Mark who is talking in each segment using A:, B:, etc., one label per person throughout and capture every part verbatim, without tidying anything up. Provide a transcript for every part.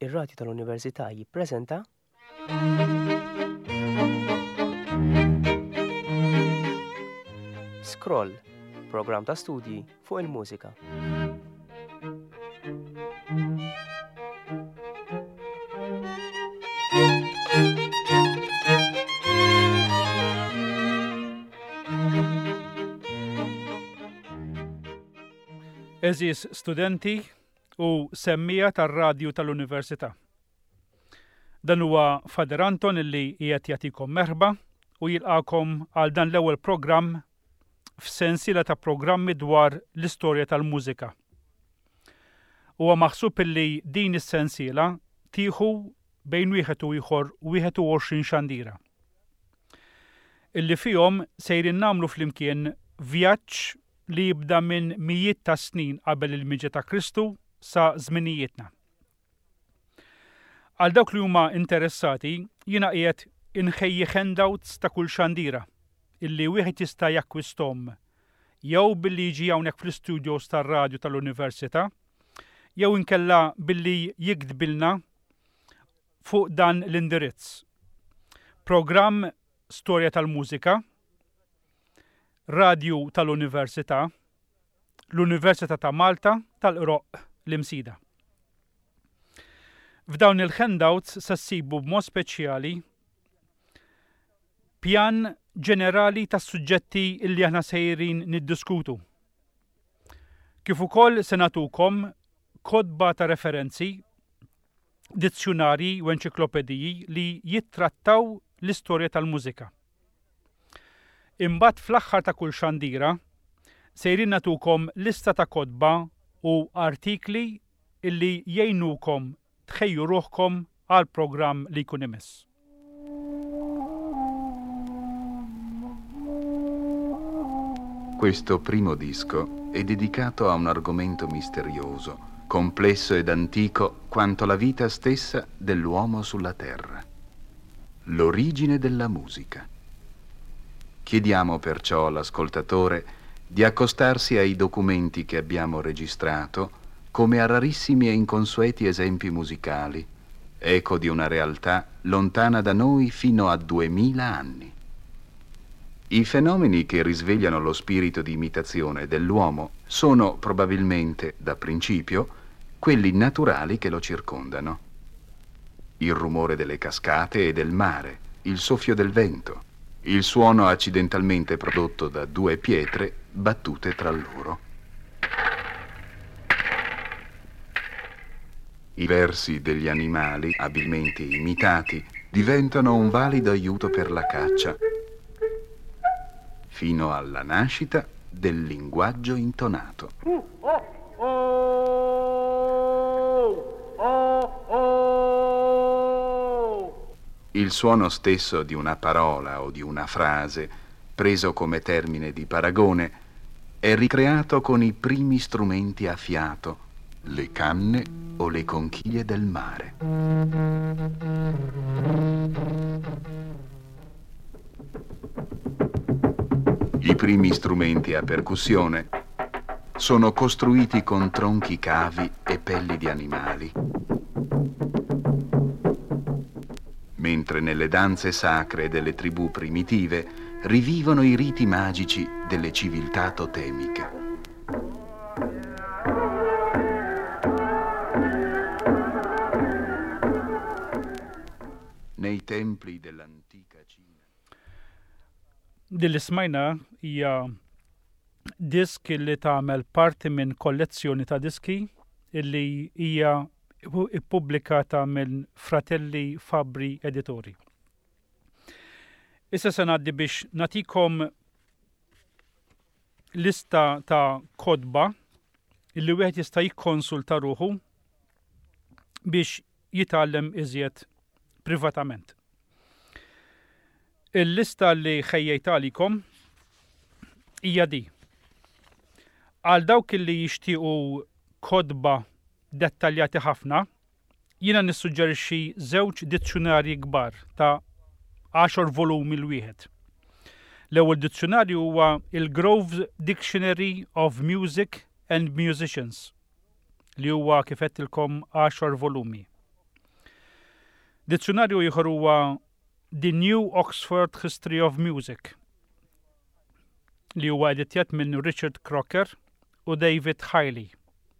A: Ir-Radju tal-Università jippreżenta Scroll, programm ta' studji fuq il-mużika.
B: Eżis studenti u semmija tar-radju tal-Università. Dan huwa Fader Anton illi qiegħed jagħtikom merħba u jilqakom għal dan l-ewwel programm f'sensiela ta' programmi dwar l-istorja tal-mużika. Huwa maħsub illi din is-sensiela tieħu bejn wieħed u ieħor wieħed u għoxrin xandira. Illi fihom sejrin nagħmlu flimkien vjaġġ li jibda minn mijiet ta' snin qabel il-miġja ta' Kristu sa żminijietna. Għal dawk li huma interessati, jiena qiegħed inħejji handouts ta' kull xandira illi wieħed jista' jakkwisthom jew billi jiġi hawnhekk fl-istudios tar-radju tal-Università, jew inkella billi jiktbilna fuq dan l-indirizz. Programm Storja tal-Mużika, Radju tal-Università, l-Università ta' Malta tal-Qroqq l-Imsida. F'dawn il-handouts se ssibu b'mod speċjali pjan ġenerali tas-suġġetti illi aħna sejrin niddiskutu. Kif ukoll se nagħtukom kotba ta' referenzi, dizzjunarji u enċiklopediji li jittrattaw l-istorja tal-mużika. Imbagħad fl-aħħar ta' kull xandira sejrin nagħtukom lista ta' kotba u artikli illi jgħinukom tħejju ruħkom għal programm li jkun imiss.
C: Questo primo disco è dedicato a un argomento misterioso, complesso ed antico quanto la vita stessa dell'uomo sulla terra: l'origine della musica. Chiediamo perciò all'ascoltatore di accostarsi ai documenti che abbiamo registrato come a rarissimi e inconsueti esempi musicali, eco di una realtà lontana da noi fino a duemila anni. I fenomeni che risvegliano lo spirito di imitazione dell'uomo sono probabilmente, da principio, quelli naturali che lo circondano. Il rumore delle cascate e del mare, il soffio del vento, il suono accidentalmente prodotto da due pietre battute tra loro. I versi degli animali, abilmente imitati, diventano un valido aiuto per la caccia, fino alla nascita del linguaggio intonato. Il suono stesso di una parola o di una frase, preso come termine di paragone, è ricreato con i primi strumenti a fiato, le canne o le conchiglie del mare. I primi strumenti a percussione sono costruiti con tronchi cavi e pelli di animali, mentre nelle danze sacre delle tribù primitive rivivono i riti magici delle civiltà totemiche. Nei templi dell'antica Cina.
B: Din li smajna hija disk li tagħmel parti minn kollezzjoni ta' diski illi hija ippubblikata minn Fratelli Fabbri Editori. Issa se ngħaddi biex nagħtikom lista ta' kotba illi wieħed jista' jikkonsulta ruħu biex jitgħallem iżjed privatament. Il-lista li ħejjejt għalikom hija di. Għal dawk li jixtiequ kotba dettaljati ħafna, jiena nissuġġerixxi żewġ dizzjunarji kbar ta' għaxar volumi l-wieħed. L-ewwel dizzjunarju huwa il-Grove's Dictionary of Music and Musicians, li huwa kif għedtilkom għaxar volumi. Dizzjunarju ieħor huwa The New Oxford History of Music li huwa editjat minn Richard Crocker u David Hiley.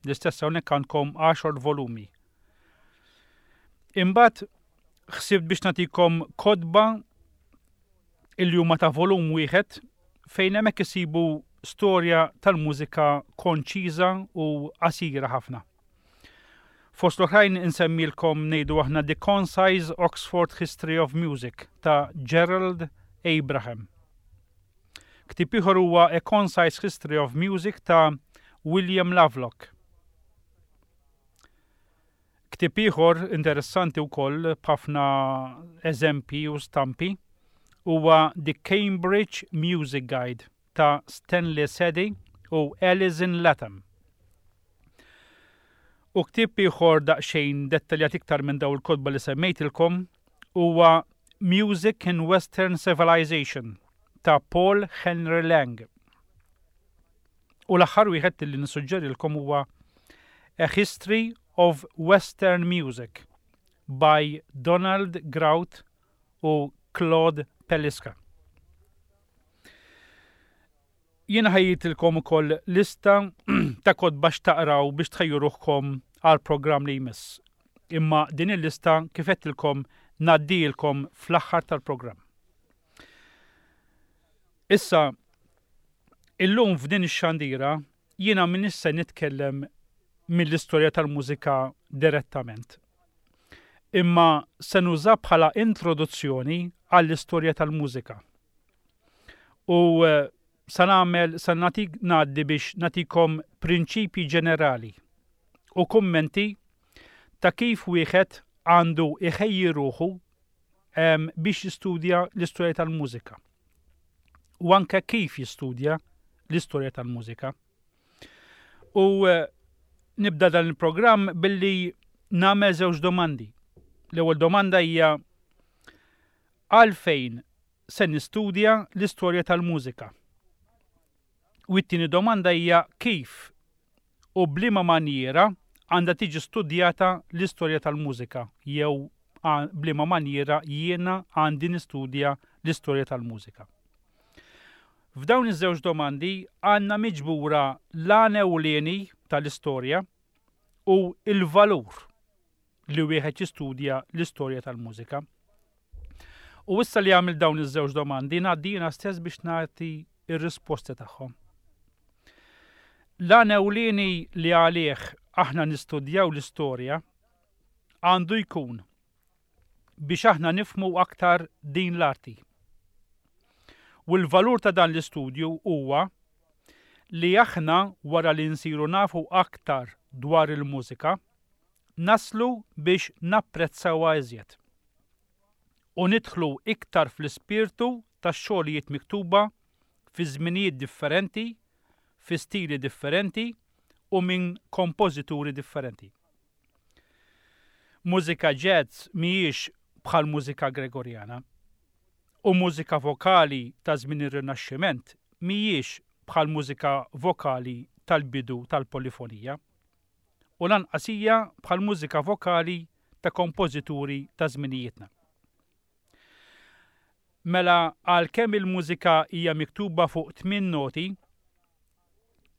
B: L-istess hawnhekk għandkom għaxar volumi. Imbagħad ħsibt biex nagħtikom kotba illi huma ta' volum wieħed fejn hemmhekk isibu storja tal-mużika konċiża u qasira ħafna. Fost l-oħrajn insemmilkom ngħidu aħna The Concise Oxford History of Music ta' Gerald Abraham. Ktieb ieħor huwa A Concise History of Music ta' William Lovelock. Ktieb ieħor interessanti wkoll b'ħafna eżempji u stampi huwa The Cambridge Music Guide ta' Stanley Sadie u Alison Latham. U ktieb ieħor daqsxejn dettaljat iktar minn dawn il-kotba li semmejtilkom huwa Music in Western Civilization ta' Paul Henry Lang. U l-aħħar wieħed li nissuġġerilkom huwa A History of Western Music by Donald Grout u Claude Peliska. Jiena ħejjejtilkom ukoll lista ta' kotba x'taqraw biex tħejju ruħkom għal programm li jmiss. Imma din il-lista kif għedtilkom ngħaddilkom fl-aħħar tal-programm. Issa, illum f'din ix-xandira jiena m'iniex se nitkellem mill-istorja tal-mużika direttament. Imma se nuża bħala introduzzjoni għall-istorja tal-mużika. U eh, sa nagħmel sa nagħtik ngħaddi biex nagħtikom prinċipji ġenerali u kummenti ta' kif wieħed għandu iħejji ruħu em, biex jistudja l-istorja tal-mużika. U anke kif jistudja l-istorja tal-mużika. U eh, nibda dan il-programm billi nagħmel żewġ domandi. L-ewwel domanda hija għalfejn se nistudja l-istorja tal-mużika. U t-tieni domanda hija kif u b'liema manjiera għandha tiġi studjata l-istorja tal-mużika jew b'liema manjiera jiena għandi nistudja l-istorja tal-mużika. F'dawn iż-żewġ domandi għandna miġbura l-għan ewlieni tal-istorja u il-valur li wieħed jistudja l-istorja tal-mużika. U issa li għamilt dawn iż-żewġ domandi ngħaddi jiena stess biex nagħti ir-risposti tagħhom. L-għan ewlieni li għalih aħna nistudjaw l-istorja għandu jkun biex aħna nifhmu aktar din l-arti. U l-valur ta' dan l-istudju huwa li aħna wara li nsiru nafu aktar dwar il-mużika, naslu biex napprezzawha iżjed. U nidħlu iktar fl-ispirtu tax-xogħlijiet miktuba fi żminijiet differenti, fi stili differenti u minn kompożituri differenti. Mużika jazz mhijiex bħal mużika Gregorjana u mużika vokali ta' żmien ir-Rinaxximent mhijiex bħal mużika vokali tal-bidu tal-polifonija u lanqas hija bħal mużika vokali ta' kompożituri ta' żminijietna. Mela għalkemm il-mużika hija miktuba fuq tmien noti,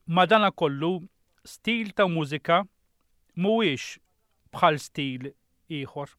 B: madanakollu stil ta' mużika mhuwiex bħal stil ieħor.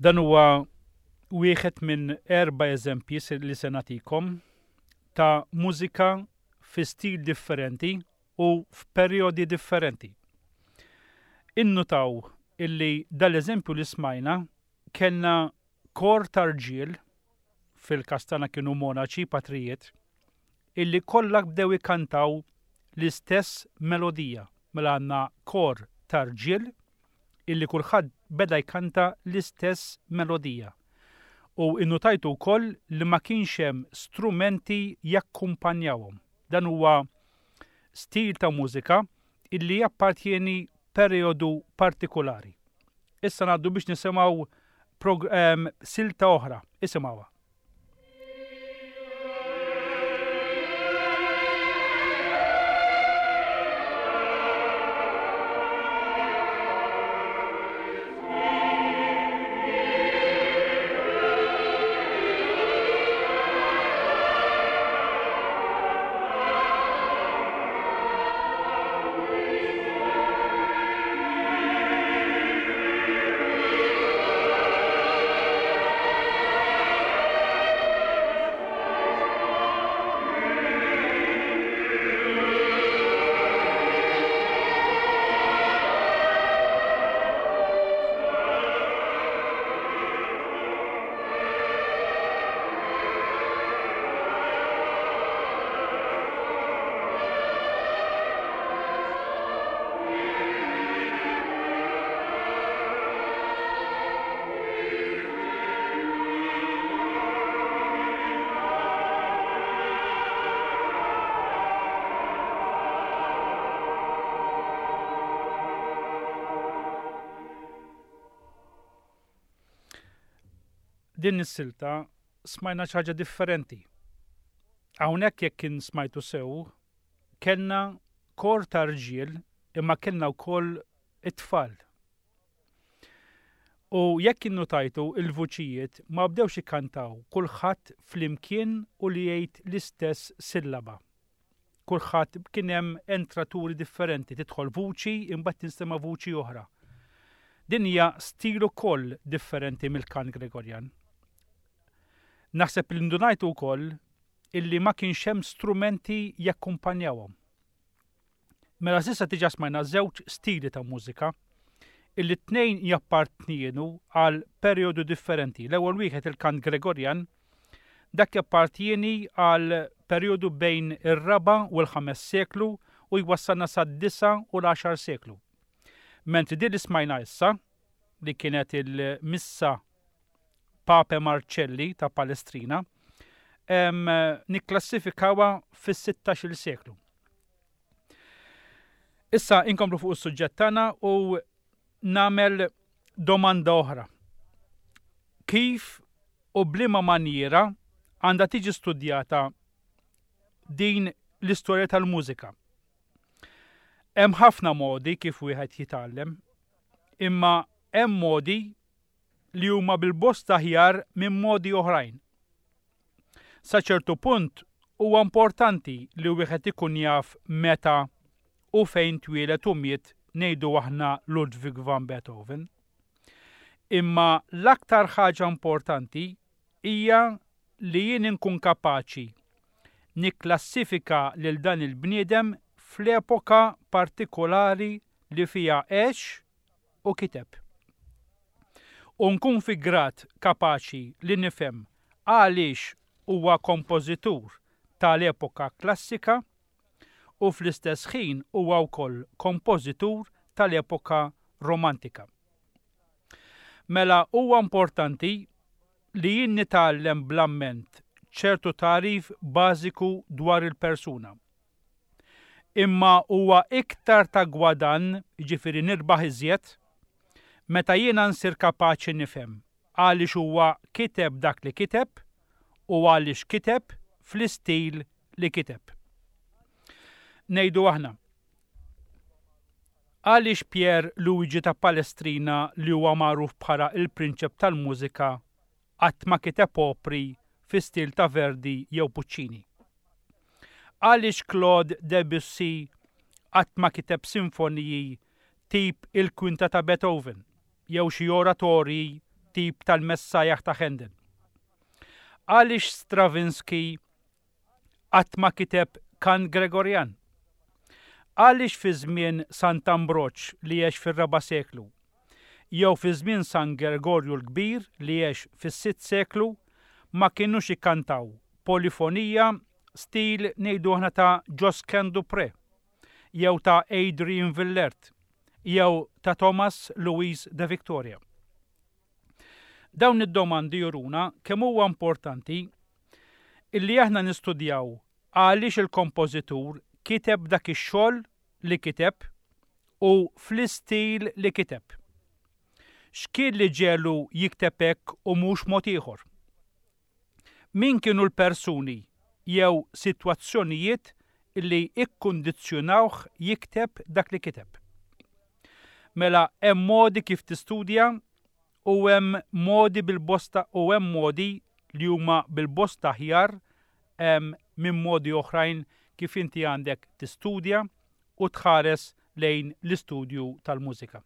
B: Dan huwa wieħed minn erba' eżempji li se nagħtikom ta' mużika fi stil differenti u f'perjodi differenti. Innutaw illi dal-eżempju li smajna kellna kor ta' rġiel, fil-każ tagħna kienu monaċi, patrijiet, illi kollha bdew ikantaw l-istess melodija. Mela għandna kor ta' rġiel illi kulħadd beda jkanta l-istess melodija. U innutajtu wkoll li ma kienx hemm strumenti jakkumpanjawhom. Dan huwa stil ta' mużika illi jappartjeni perjodu partikolari. Issa ngħaddu biex nisimgħu ehm, silta oħra. Isimgħuha. Din is-silta smajna xi ħaġa differenti. Hawnhekk jekk kien smajtu sew, kellna kor ta' rġiel imma kellna wkoll it-tfal. U jekk innutajtu il-vuċijiet ma bdewx ikkantaw kulħadd flimkien u li jgħid l-istess sillaba. Kulħadd kien hemm entraturi differenti, tidħol vuċi imbagħad tinstema' vuċi oħra. Din hija stil ukoll differenti mill-kant Gregorjan. Naħseb li ndunajtu wkoll illi ma kienx hemm strumenti jakkumpanjawhom. Mela s'issa diġà smajna żewġ stili ta' mużika illi t-tnejn jappartjenu għal perjodu differenti. L-ewwel wieħed il-kant Gregorjan, dak jappartjeni għal perjodu bejn ir-raba' u l-ħames seklu u jwassalna sad-disa' u l-għaxar seklu. Mentri din li smajna issa, li kienet il-missa Pape Marcelli ta' Palestrina, nikklassifikawha fis-sittax-il seklu. Issa inkomplu fuq is-suġġett tagħna u nagħmel domanda oħra. Kif u b'liema manjiera għandha tiġi studjata din l-istorja tal-mużika? Hemm ħafna modi kif wieħed jitgħallem, imma hemm modi li huma bil-bosta aħjar minn modi oħrajn. Sa ċertu punt huwa importanti li wieħed ikun jaf meta u fejn twieled u miet ngħidu aħna Ludwig van Beethoven. Imma l-aktar ħaġa importanti hija li jien inkun kapaċi nikklassifika lil dan il-bniedem fl-epoka partikolari li fiha għex u kiteb. U nkun fi grad kapaċi li nifhem għaliex huwa kompożitur tal-epoka klassika u fl-istess ħin huwa wkoll kompożitur tal-epoka romantika. Mela huwa importanti li jien nitgħallem bl-amment ċertu tagħrif bażiku dwar il-persuna. Imma huwa iktar ta' gwadann, jiġifieri nirbaħ iżjed, meta jiena nsir kapaċi nifhem għaliex huwa kiteb dak li kiteb u għaliex kiteb fl-istil li kiteb. Ngħidu aħna, għaliex Pier Luigi ta' Palestrina li huwa magħruf bħala il-prinċep tal-mużika qatt ma kiteb opri fi stil ta' Verdi jew Puccini? Għaliex Claude Debussy qatt ma kiteb sinfoniji tip il-kwinta ta' Beethoven jew xi oratorji tat-tip tal-Messajah ta' Handel? Għaliex Stravinsky qatt ma kiteb kant Gregorjan? Għaliex fi żmien Sant'Ambroġ li għex fir-raba' seklu, jew fi żmien San Gregorju l-Kbir li għex fis-sitt seklu ma kinux ikkantaw polifonija stil ngħidu aħna ta' Josquin des Prez, jew ta' Adrian Willaert, jew ta' Thomas Louis de Victoria? Dawn id-domandi juruna kemm huwa importanti illi aħna nistudjaw għaliex il-kompożitur kiteb dak ix-xogħol li kiteb u fl-istil li kiteb. X'kien li ġelu jikteb hekk u mhux mod ieħor? Min kienu l-persuni jew sitwazzjonijiet li ikkundizzjonawh jikteb dak li kiteb? Mela hemm modi kif tistudja u hemm modi bil-bosta u hemm modi li huma bil-bosta aħjar minn modi oħrajn kif inti għandek tistudja u tħares lejn l-istudju tal-mużika.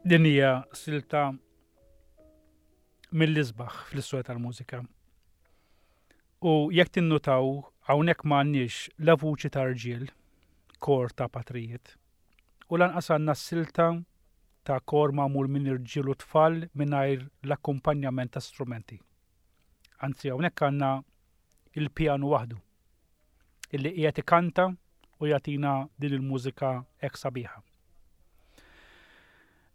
B: Din hija silta mill-isbaħ fl-istorja tal-mużika. U jekk tinnutaw hawnhekk m'għandniex la vuċi ta' rġiel, kor ta' patrijiet, u lanqas għandna silta ta' kor magħmul minn irġiel u tfal mingħajr l-akkumpanjament ta' strumenti. Anzi hawnhekk għandna il-pjanu waħdu illi qiegħed ikanta u jagħtina din il-mużika hekk sabiħa.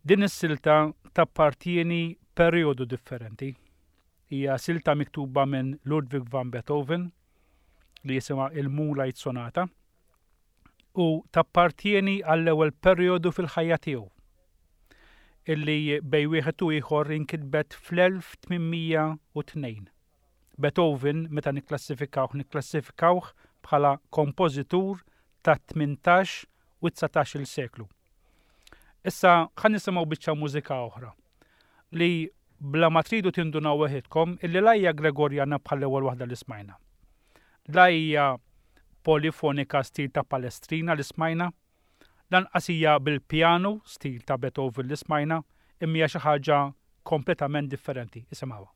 B: Din is-silta tappartieni perjodu differenti. Hija silta miktuba minn Ludwig van Beethoven li jisimha il-Moonlight Sonata u tappartieni għall-ewwel perjodu fil-ħajja tiegħu illi bej wieħed u ieħor inkitbet fl-elf tmien mija u tnejn. Beethoven meta nikklassifikawh nikklassifikawh bħala kompożitur ta' tmintax u dsatax-il seklu. Issa ħa nisimgħu biċċa mużika oħra li bla ma tridu tindunaw weħidkom illi la hija Gregorjana bħall-ewwel waħda li smajna. La hija polifonika stil ta' Palestrina li smajna, lanqas hija bil-pjanu stil ta' Beethoven li smajna, imma hija xi ħaġa kompletament differenti. Isimgħuha.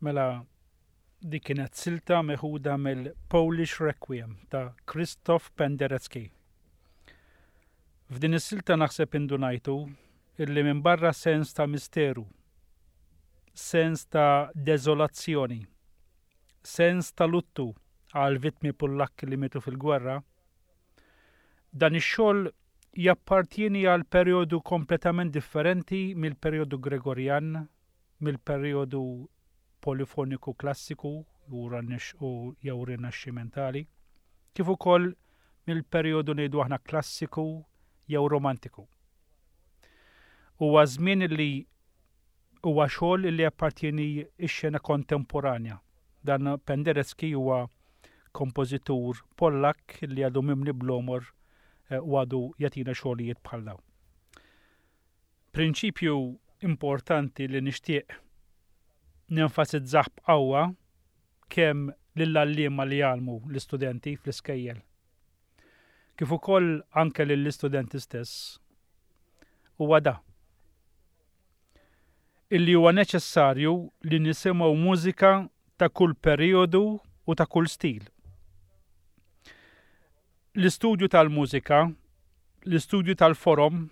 B: Mela dik kienet silta meħuda mill-Polish Requiem ta' Krzysztof Penderecki. F'din is-silta naħseb indunajtu illi minn barra sens ta' misteru, sens ta' deżolazzjoni, sens ta' luttu għal vittmi Pollakki li mietu fil-gwerra, dan ix-xogħol jappartieni għal perjodu kompletament differenti mill-perjodu Gregorjan, mill-perjodu polifoniku klassiku u jew rinaxximentali, kif ukoll mill-perjodu ngħidu aħna klassiku jew romantiku. Huwa żmien li huwa xogħol li appartieni x-xena kontemporanja. Dan Penderecki huwa kompożitur Pollak li għadu mimli bl-għomor eh, u għadu jagħtina xogħlijiet bħal dawn. Prinċipju importanti li nixtieq nenfasizzah b'qawwa kemm lill-għalliema li jgħallmu l-istudenti fl-iskejjel. Kif ukoll anke lill-istudenti stess huwa da. Illi huwa neċessarju li nisimgħu mużika ta' kull perjodu u ta' kull stil. L-istudju tal-mużika, l-istudju tal-forom,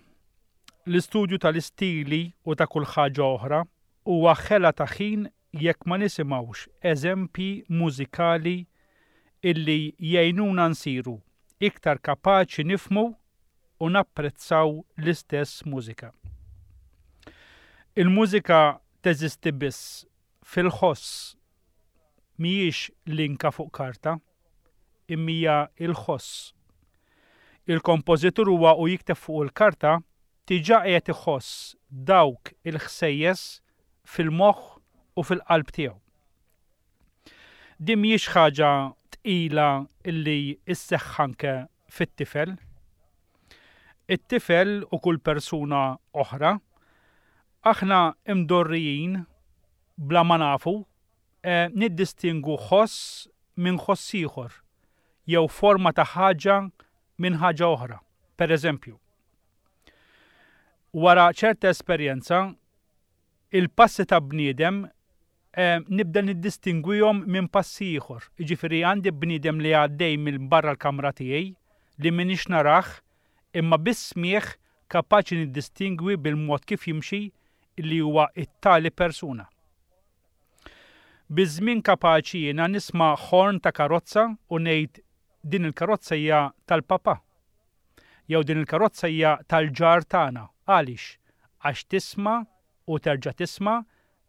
B: l-istudju tal-istili u ta' kull ħaġa oħra huwa ħela ta' ħin jekk ma nisimgħux eżempji mużikali illi jgħinuna nsiru iktar kapaċi nifhmu u napprezzaw l-istess mużika. Il-mużika teżisti biss fil-ħoss, mhijiex linka fuq karta, imma hija il-ħoss. Il-kompożitur huwa u jikteb fuq il-karta diġà qiegħed iħoss dawk il-ħsejjes fil-moħħ u fil-qalb tiegħu. Din mhijiex ħaġa tqila illi isseħħ anke fit-tifel. It-tifel u kull persuna oħra, aħna imdorrijin bla ma nafu eh, niddistingu ħoss minn ħoss ieħor jew forma ta' ħaġa minn ħaġa oħra. Per eżempju, wara ċerta esperjenza, il-passi ta' bniedem eh, nibda niddistingwihom minn passi ieħor. Jiġifieri għandi bniedem li għaddej minn barra l-kamra tiegħi li m'iniex narah imma bis-smieħ kapaċi niddistingwi bil-mod kif jimxi li huwa it-tali persuna. Biż-żmien kapaċi jiena nisma' ħorn ta' karozza u ngħid din il-karozza hija tal-papa. Jew din il-karozza hija tal-ġar tagħna. Għaliex? Għax tisma' u terġa' tisma',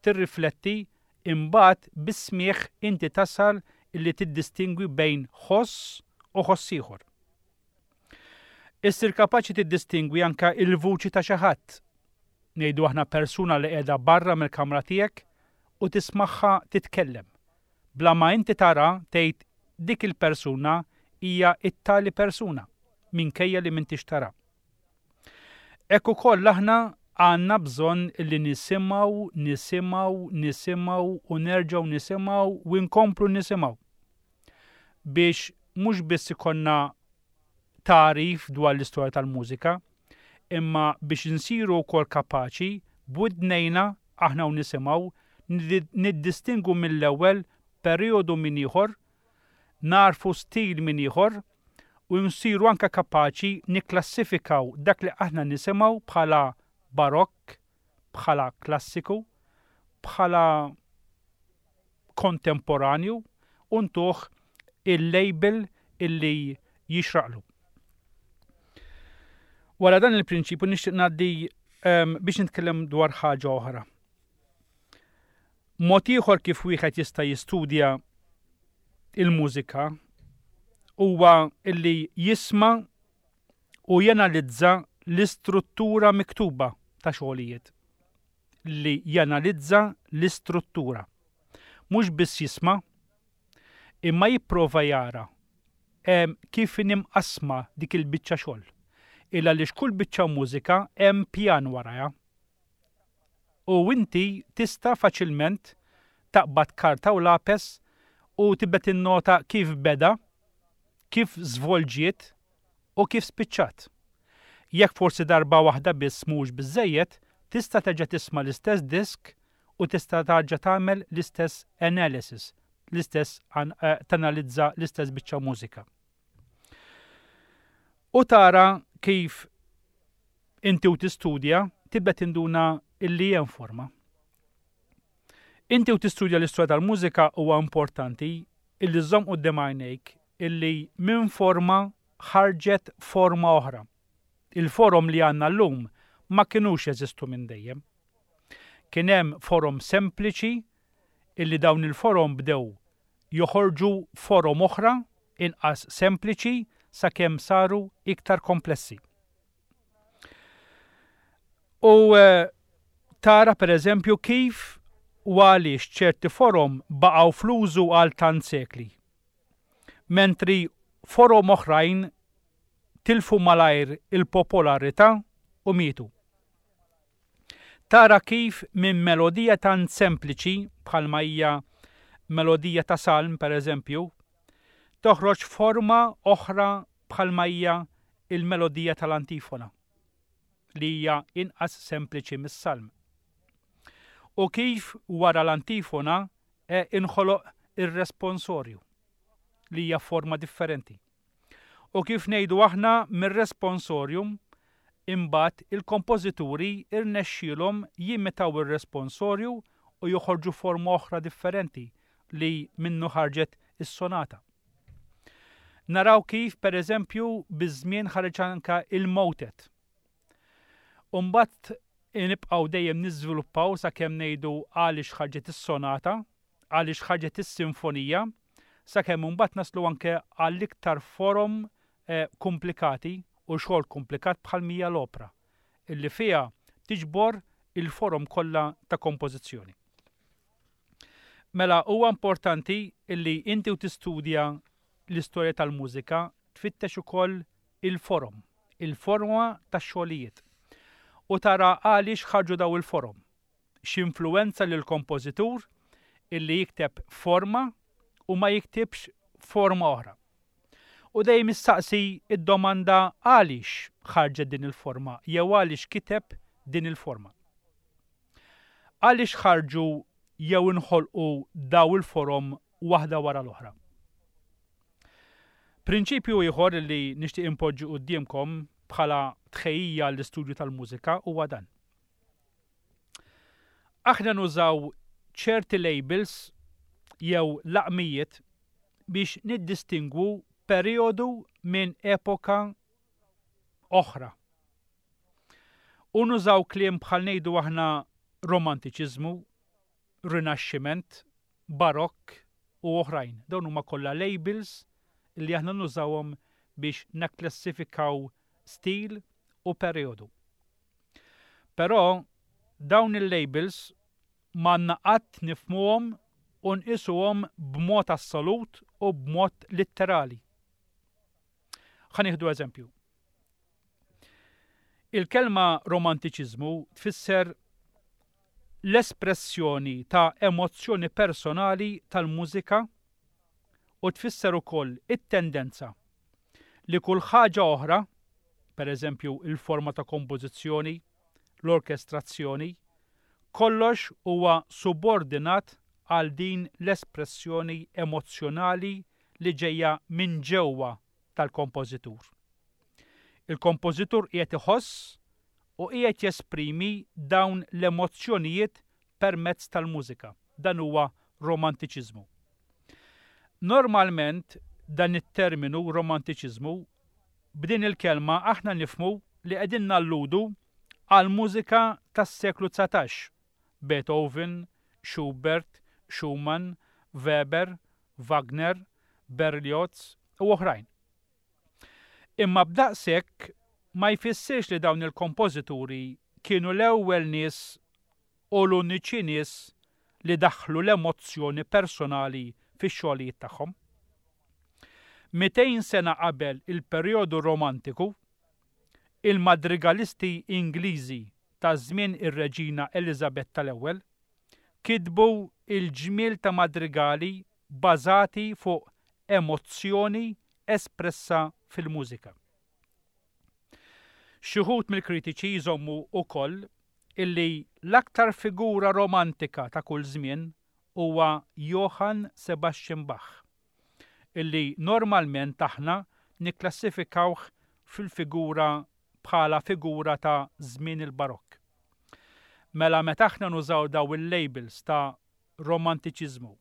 B: tirrifletti, imbagħad bis-smieħ inti tasal illi tiddistingwi bejn ħoss u ħoss ieħor. Issir kapaċi tiddistingwi anka il-vuċi ta' xi ħadd. Ngħidu aħna persuna li qiegħda barra mill-kamra tiegħek u tismagħha titkellem. Bla ma inti tara tgħid dik il-persuna hija it-tali persuna minkejja li m'intix tara. Hekk ukoll aħna għandna bżonn li nisimgħu, nisimgħu, nisimgħu u nerġgħu nisimgħu u nkomplu nisimgħu. Biex mhux biss ikollna tagħrif dwar l-istorja tal-mużika, imma biex nsiru wkoll kapaċi b'widnejna aħna u nisimgħu niddistingu mill-ewwel perjodu minn ieħor, narfu stil minn ieħor u nsiru anka kapaċi nikklassifikaw dak li aħna nisimgħu bħala barokk, bħala klassiku, bħala kontemporanju u ntuh il-label illi jixraqlu. Wara dan il-prinċipju nixtieq ngħaddi um, biex nitkellem dwar ħaġa oħra. Mod ieħor kif wieħed jista' jistudja il-mużika huwa illi jisma' u janalizza l-istruttura miktuba ta' xogħlijiet. Li janalizza l-istruttura. Mhux biss jisma', imma jipprova jara em, kif imqassma dik il-biċċa xogħol. Illa li kull biċċa mużika hemm pjan warajha. U inti tista' faċilment taqbad karta u lapes u tibda tinnota kif beda, kif żvolġiet u kif spiċċat. Jekk forsi darba waħda biss mhux biżejjed, tista' terġa' tisma' l-istess disk U tista' tarġa' tagħmel l-istess analysis, l-istess eh, tanalizza l-istess biċċa mużika. U tara kif inti u tistudja tibda tinduna illi hemm forma. Inti u tistudja l-istorja tal-mużika huwa importanti illi żżomm quddiem għajnejk illi minn forma ħarġet forma oħra. Il-forom li għandna llum ma kinux jeżistu minn dejjem. Kien hemm forom sempliċi illi dawn il-forom bdew joħorġu forom oħra inqas sempliċi sakemm saru iktar komplessi. U eh, tara per eżempju kif u għaliex ċerti forom baqgħu fl-użu għal tant sekli. Mentri forom oħrajn tilfu malajr il-popolarità u mietu. Tara kif minn melodija tant sempliċi bħalma hija melodija ta' salm per eżempju, toħroġ forma oħra bħalma hija il-melodija tal-antifona li hija inqas sempliċi mis-salm. U kif wara l-antifona e inħoloq ir-responsorju li hija forma differenti. U kif ngħidu aħna mir-responsorium imbagħad il-kompożituri irnexxielhom jimitaw ir-responsorju u joħorġu forma oħra differenti li minnu ħarġet is-sonata. Naraw kif per eżempju biż-żmien ħareġ anka il-motet. U mbagħad nibqgħu dejjem niżviluppaw sakemm ngħidu għaliex ħarġet is-sonata, għaliex ħarġet is-sinfonija, sakemm imbagħad naslu anke għall-iktar forom eh, komplikati u xogħol komplikat bħal mija l-opra, illi fiha tiġbor il-forom kollha ta' kompożizzjoni. Mela huwa importanti illi inti u tistudja l-istorja tal-mużika tfittex ukoll il-forom, il-forma tax-xogħlijiet. U tara għaliex ħarġu daw il-forom. X'influwenza lil kompożitur illi jikteb forma u ma jiktibx forma oħra. U dejjem issaqsi id-domanda għaliex ħarġet din il-forma jew għaliex kiteb din il-forma. Għaliex ħarġu jew inħolqu daw il-forom waħda wara l-oħra. Prinċipju ieħor li nixtieq impoġġi quddiemkom bħala tħejjija l-istudju tal-mużika huwa dan. Aħna nużaw ċerti labels jew laqmijiet biex niddistingwu periodu minn epoka oħra. U nużaw kliem bħal ngħidu aħna romantiċiżmu, rinaxximent, barokk u oħrajn. Dawn huma kollha labels li aħna nużawhom biex nakklassifikaw stil u periodu. Però dawn il-labels m'għandna qatt nifhmuhom u nqisuhom b'mod assolut u b'mod litterali. Ħa nieħdu eżempju. Il-kelma romantiċiżmu tfisser l-espressjoni ta' emozzjoni personali tal-mużika u tfisser ukoll it-tendenza li kull ħaġa oħra, per eżempju il-forma ta' kompożizzjoni, l-orkestrazzjoni, kollox huwa subordinat għal din l-espressjoni emozzjonali li ġejja minn ġewwa tal-kompożitur. Il-kompożitur qiegħed iħoss u qiegħed jesprimi dawn l-emozzjonijiet permezz tal-mużika. Dan huwa romantiċiżmu. Normalment dan it-terminu romantiċiżmu b'din il-kelma aħna nifhmu li qegħdin nalludu għal mużika tas-seklu dsatax. Beethoven, Schubert, Schumann, Weber, Wagner, Berlioz u oħrajn. Imma b'daqshekk ma jfissirx li dawn il-kompożituri kienu l-ewwel nies u l-uniċi nies li daħlu l-emozzjoni personali fix-xogħlijiet tagħhom. Mitejn sena qabel il-perjodu romantiku, il-madrigalisti Ingliżi ta' żmien ir-Reġina Elizabetta l-ewwel kitbu il-ġmiel ta' madrigali bażati fuq emozzjoni espressa fil-mużika. Xi wħud mill-kritiċi jżommu wkoll illi l-aktar figura romantika ta' kull żmien huwa Johann Sebastian Bach, illi normalment aħna nikklassifikawh fil-figura bħala figura ta' żmien il-Barokk. Mela meta aħna nużaw daw il-labels ta' romantiċiżmu,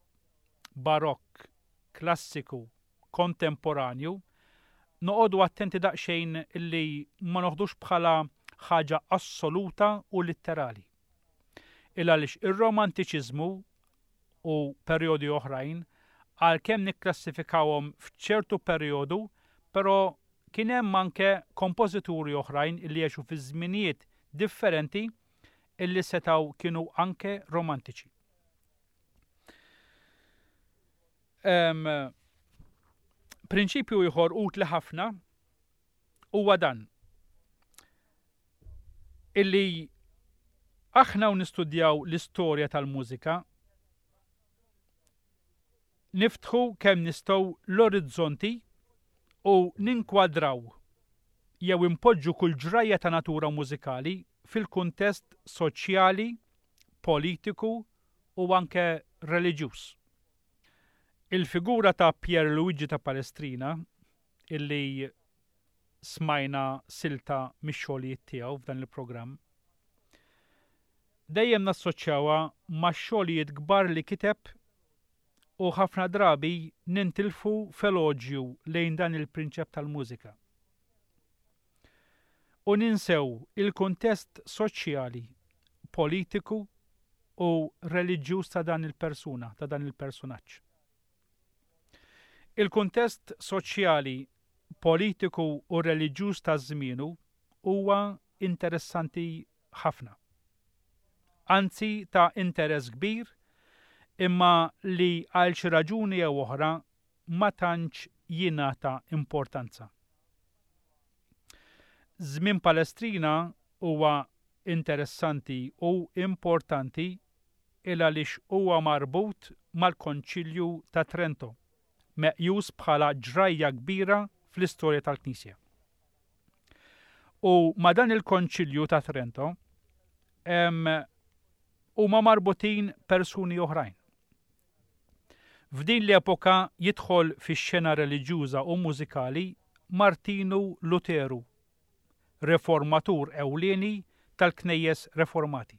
B: Barokk, klassiku, kontemporanju, noqogħdu attenti daqsxejn illi ma noħdux bħala ħaġa assoluta u litterali. Il għaliex ir-romantiċiżmu u perjodi oħrajn għalkemm nikklassifikawhom f'ċertu perjodu, però kien hemm anke kompożituri oħrajn illi għexu fi żminijiet differenti illi setgħu kienu anke romantiċi. Um, prinċipju ieħor utli ħafna huwa dan illi aħna u nistudjaw l-istorja tal-mużika niftħu kemm nistgħu l-orizzonti u ninkwadraw jew impoġġu kull ġrajja ta' natura mużikali fil-kuntest soċjali, politiku u anke reliġjuż. Il-figura ta' Pier Luigi ta' Palestrina, illi smajna silta mix-xogħlijiet tiegħu f'dan il-programm, dejjem nassoċjawha ma' xogħlijiet kbar li kiteb u ħafna drabi nintilfu f'eloġju lejn dan il-prinċep tal-mużika. U ninsew il-kuntest soċjali, politiku u reliġjuż ta' dan il-persuna, ta' dan il-personaġġ. Il-kuntest soċjali, politiku u reliġjuż ta' żmienu huwa interessanti ħafna. Anzi ta' interess kbir, imma li għal xi raġuni jew oħra ma tantx jingħata importanza. Żmien Palestrina huwa interessanti u importanti il għaliex huwa marbut mal-Konċilju ta' Trento, meqjus bħala ġrajja kbira fl-istorja tal-Knisja. U ma' dan il-Konċilju ta' Trento huma marbutin persuni oħrajn. F'din l-epoka jidħol fix-xena reliġjuża u mużikali Martinu Luteru, reformatur ewlieni tal-Knejjes Reformati.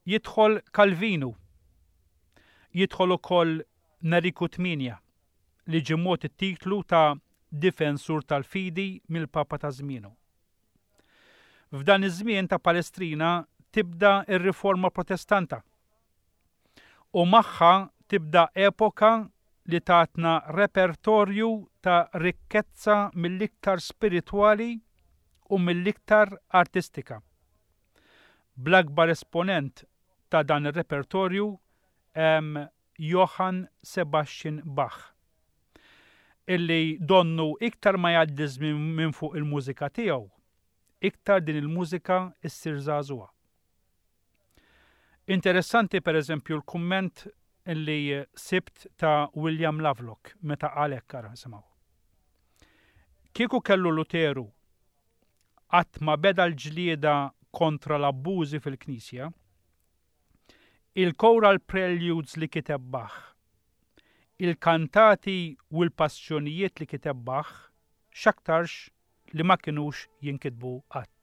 B: Jidħol Calvinu, jidħol ukoll Neriku Tminja, li ġie mogħti t-titlu ta' difensur tal-fidi mill-Papa ta' żmienu. F'dan iż-żmien ta' Palestrina tibda r-Riforma Protestanta u magħha tibda epoka li tatna repertorju ta' rikkezza mill-iktar spiritwali u mill-iktar artistika. Bl-akbar esponent ta' dan ir-repertorju hemm Johann Sebastian Bach, illi donnu iktar ma jgħaddi żmien minn fuq il-mużika tiegħu, iktar din il-mużika issir żagħżugħa. Interessanti per eżempju l-kumment illi sibt ta' William Lovelock meta qal hekk, ara nisimgħu. Kieku kellu Luteru qatt ma beda l-ġlieda kontra l-abbużi fil-Knisja, il-choral preludes li kiteb Bach, il-kantati u l-passjonijiet li kiteb Bach, x'aktarx li ma kinux jinkitbu qatt.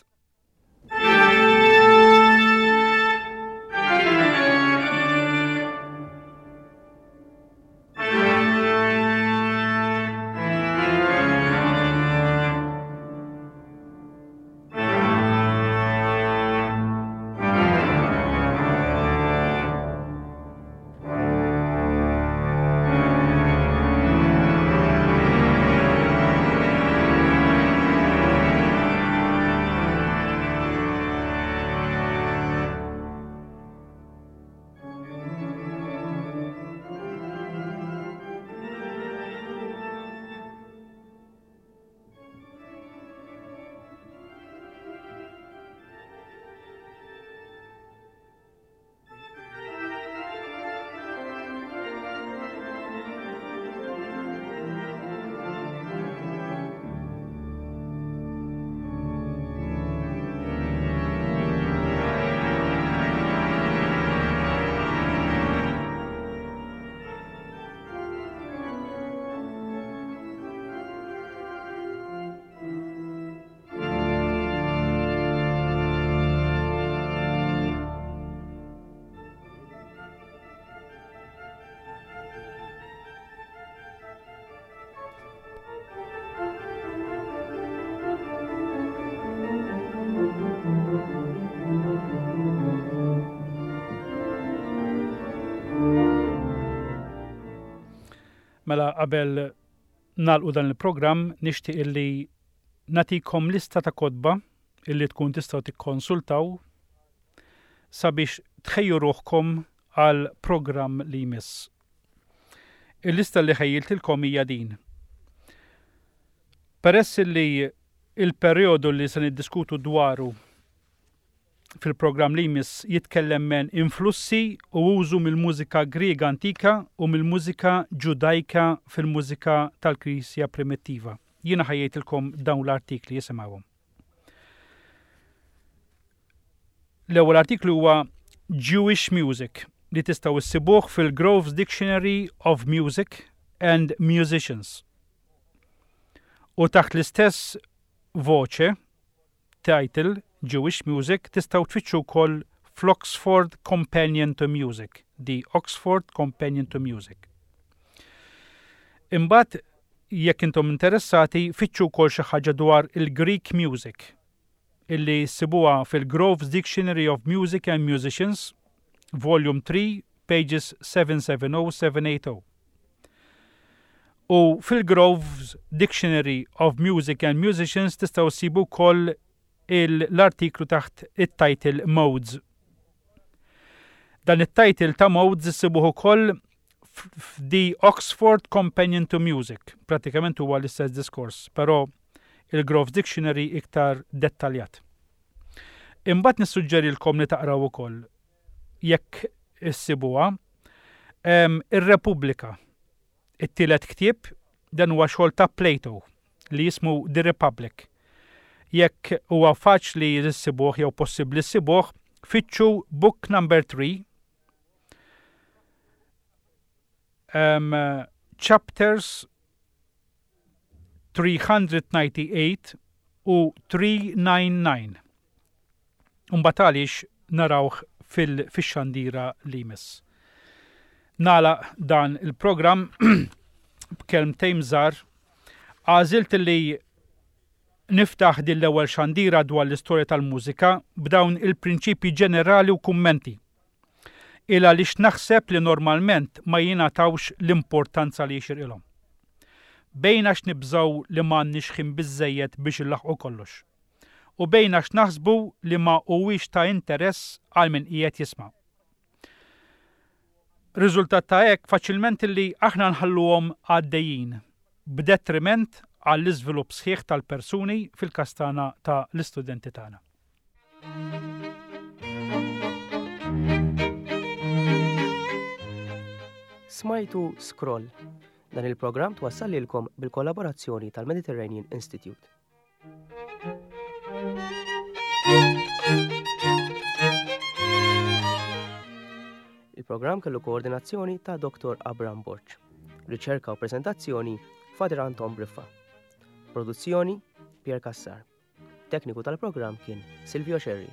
B: Mela qabel nagħlqu dan il-programm nixtieq illi nagħtikom lista ta' kotba illi tkun tistgħu tikkonsultaw sabiex tħejju ruħkom għal programm li jmiss. Il-lista li ħejjiltilkom hija din. Peress li il-perjodu li se niddiskutu dwaru fil-programm li jmiss jitkellem men influssi u użu mill-mużika Griega antika u mill-mużika Ġudajka fil-mużika tal-Knisja primittiva. Jiena ħejjejtilkom dawn l-artikli jisimgħuhom. L-ewwel artiklu huwa Jewish Music li tistgħu issibuh fil-Grove's Dictionary of Music and Musicians. U taħt l-istess voce, title Jewish Music, tistgħu tfittxu wkoll fl-Oxford Companion to Music, The Oxford Companion to Music. Imbagħad jekk intom interessati, fittxu wkoll xi ħaġa dwar il-Greek Music, illi ssibuha fil-Grove's Dictionary of Music and Musicians, Volume three, pages seven seven oh seven eight oh. U fil-Grove's Dictionary of Music and Musicians tistgħu ssibu wkoll l-artiklu taħt it-title Modes. Dan it-title ta' Modes issibuh ukoll f'The Oxford Companion to Music. Pratikament huwa l-istess diskors, però il-Grove's Dictionary iktar dettaljat. Imbagħad nissuġġerilkom li taqraw ukoll, jekk issibuha, em, ir-Repubblika. It-tielet ktieb dan huwa xogħol ta' Plato li jismu The Republic. Jekk huwa faċli issibuh jew possibbli issibuh, fittxu book number three, um, chapters three hundred ninety-eight u three nine nine. Imbagħad għaliex narawh fil-, fix-xandira li jmiss. Nagħlaq dan il-programm b'kelmtejn żgħar. Għażilt li niftaħ din l-ewwel xandira dwar l-istorja tal-mużika b'dawn il-prinċipji ġenerali u kummenti. Il għaliex naħseb li normalment ma jingħatawx l-importanza li jixirqilhom. Bejn għax nibżgħu li m'għandniex ħin biżżejjed biex inlaħqu kollox. U bejn għax naħsbu li ma huwiex ta' interess għal min qiegħed jisma'. Riżultat ta' hekk faċilment li aħna nħalluhom għaddejjin b'detriment għall-iżvilupp sħiħ tal-persuni fil-każ tagħna ta' l-istudenti tagħna.
A: Smajtu Scroll. Dan il-programm twassal lilkom bil-kollaborazzjoni tal-Mediterranean Institute. Il-programm kellu koordinazzjoni ta' Doktor Abram Borg. Riċerka u prezentazzjoni Father Anton Briffa. Produzzjoni Pier Cassar. Tekniku tal-programm kien Silvio Scerri.